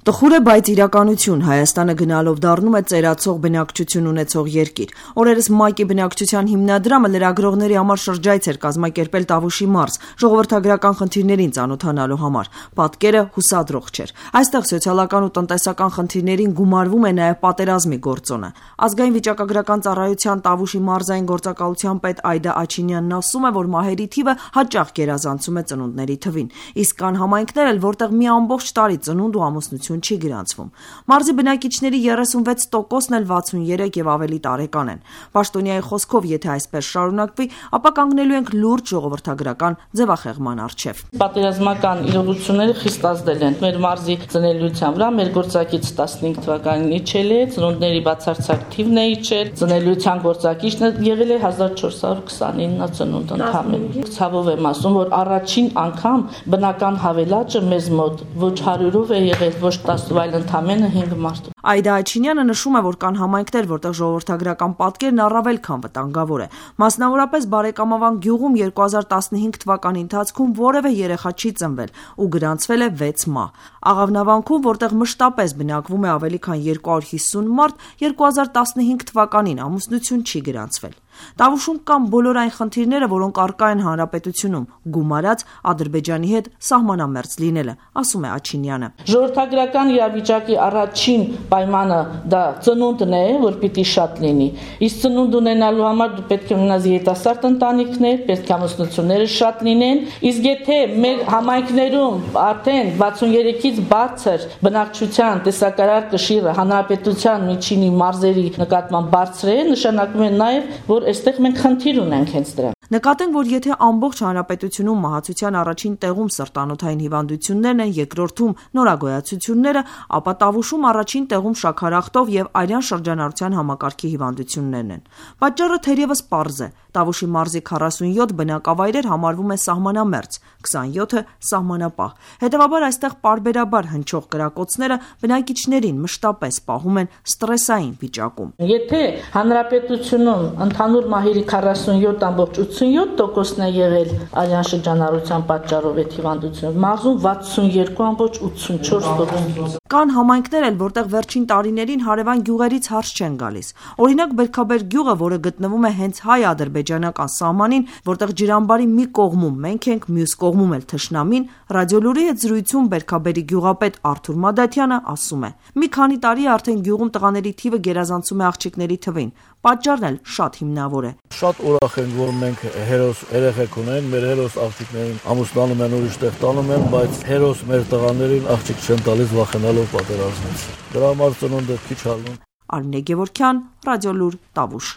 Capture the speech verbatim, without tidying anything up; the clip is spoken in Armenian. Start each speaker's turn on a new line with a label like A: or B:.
A: Տխուր է, բայց իրականություն, Հայաստանը գնալով դառնում է ծերացող բնակչություն ունեցող երկիր։ Օրերս ՄԱԿ-ի բնակչության հիմնադրամը լրագրողների համար շրջայց էր կազմակերպել Տավուշի մարզ, ժողովրդագրական խնդիրներին ծանոթանալու համար։ Պատկերը հուսադրող չէր։ Այստեղ սոցիալական ու տնտեսական խնդիրներին գումարվում է նաև պատերազմի գործոնը։ Ազգային վիճակագրական ծառայության Տավուշի մարզային գործակալության պետ Այդա Աչինյանն ասում է, որ մահերի թիվը հաճախ գերազանցում է ծնունդների թվին, իսկ կան համայնքներ էլ, որտեղ մի ամբողջ տարի ծնունդ ու ամուսնություն չի գրանցվում։ Մարզի բնակիչների երեսունվեց տոկոսն էլ վաթսուներեք եւ ավելի տարեկան են։ Պաշտոնյայի խոսքով, եթե այսպես շարունակվի, ապա կանգնելու ենք լուրջ ժողովրդագրական ձևախեղման առջև։
B: Պատերազմական իրողությունները խիստ ազդել են մեր մարզի ծնելիության վրա, մեր գործակից տասնհինգ թվականին իջել է, ծնունդների բացարձակ թիվն է իջել, ծնելիության գործակիցն եղել է հազար չորս հարյուր քսանինը ծնունդ ընդհանրապես։ Ցավով եմ ասում, որ առաջին անգամ բնական հավելաճը մեզ մոտ ոչ հարյուրով է եղել, ոչ տասը, այլ ընդամենը հինգ մարդ։
A: Այդա Աչինյանը նշում է, որ կան համայնքներ, որտեղ ժողովրդագրական պատկերն առավել քան վտանգավոր է։ Մասնավորապես Բարեկամավան գյուղում երկու հազար տասնհինգ թվականի ընթացքում որևէ երեխա չի ծնվել ու գրանցվել է վեց մահ։ Աղավնավանքում, որտեղ մշտապես բնակվում է ավելի քան երկու հարյուր հիսուն մարդ, երկու հազար տասնհինգ թվականին ամուսնություն չի գրանցվել։ Տավուշում կան բոլոր այն խնդիրները, որոնք առկա են հանրապետությունում, գումարած Ադրբեջանի հետ սահմանամերձ լինելը, ասում է Աչինյանը։
B: Ժողովրդագրական իրավիճակի առաջին պայմանը դա ծնունդն է, որ պիտի շատ լինի։ Իսկ ծնունդ ունենալու համար դու պետք է ունենաս երիտասարդ ընտանիքներ, պետք է ամուսնությունները շատ լինեն, իսկ եթե մեր համայնքներում արդեն վաթսուներեքից բարձր բնակչության տեսակարար կշիռը հանրապետության միջինի մարզերի նկատմամբ բարձր է, նշանակում է նաև, որ այստեղ մենք խնդիր ունենք հենց դրա։
A: Նկատենք, որ եթե ամբողջ հանրապետությունում մահացության առաջին տեղում սրտանոթային հիվանդություններն են, երկրորդում նորագոյացությունները, ապա Տավուշում առաջին տեղում շաքարախտով եւ արյան շրջանառության համակարգի հիվանդություններն են։ Պատճառը թերևս պարզ է։ Տավուշի մարզի քառասունյոթ բնակավայրեր համարվում է սահմանամերձ, քսանյոթը սահմանապահ։ Հետևաբար այստեղ պարբերաբար հնչող կրակոցները բնակիչներին մշտապես պահում են ստրեսային վիճակում։
B: Եթե հանրապետությունում ընդհանուր մահերի քառասունյոթ ամբողջ ութսունյոթ տոկոսն է եղել արյան շրջանառության պատճառով այդ հիվանդությունը, մարզում վաթսուներկու ամբողջ ութսունչորս տոկոս։
A: Կան համայնքներ էլ, որտեղ վերջին տարիներին հարևան գյուղերից հարց չեն գալիս։ Օրինակ Բերքաբեր գյուղը, որը գտնվում է հենց հայ-ադրբեջանական սահմանին, որտեղ ջրամբարի մի կողմում մենք ենք, մյուս կողմում էլ թշնամին, Ռադիոլուրի հետ զրույցում Բերքաբերի գյուղապետ Արթուր Մադաթյանը ասում է. «Մի քանի տարի արդեն գյուղում տղաների թիվը գերազանցում է աղջիկների թվին։ Պատճառն էլ շատ հիմնավոր է։
C: Շատ ուրախ ենք, որ մենք հերոս երեխեք ունենք, մեր հերոս աղջիկներին ամուսնանում են, ուրիշ տեղ տանում են, բայց հերոս մեր տղաներին աղջիկ չեն տալիս վախենալով պատերազմից։ Դրա համար ծնունդը քիչ հալնում»։
A: Արմինե Գևորգյան, Ռադիոլուր, Տավուշ։